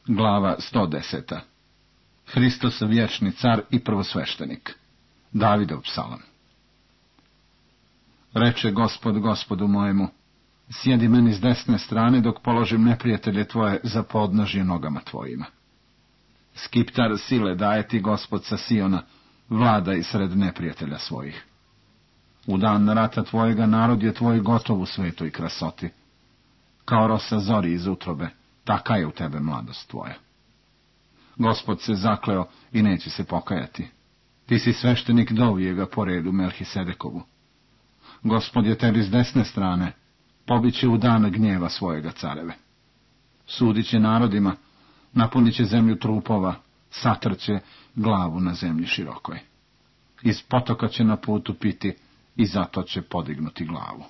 Glava 110. Hristos vječni car i prvosveštenik. Davidov psalam. Reče Gospod Gospodu mojemu, sjedi meni s desne strane dok položim neprijatelje tvoje za podnožje nogama tvojima. Skiptar sile daje ti Gospod sa Siona, vladaj sred neprijatelja svojih. U dan rata tvojega narod je tvoj gotov u svetoj krasoti. Kao rosa zori iz utrobe, taka je u tebe mladost tvoja. Gospod se zakleo i neće se pokajati. Ti si sveštenik dovijega po redu Melhisedekovu. Gospod je tebi s desne strane, pobit će u dan gnjeva svojega careve. Sudit će narodima, napunit će zemlju trupova, satrće glavu na zemlji širokoj. Iz potoka će na putu piti i zato će podignuti glavu.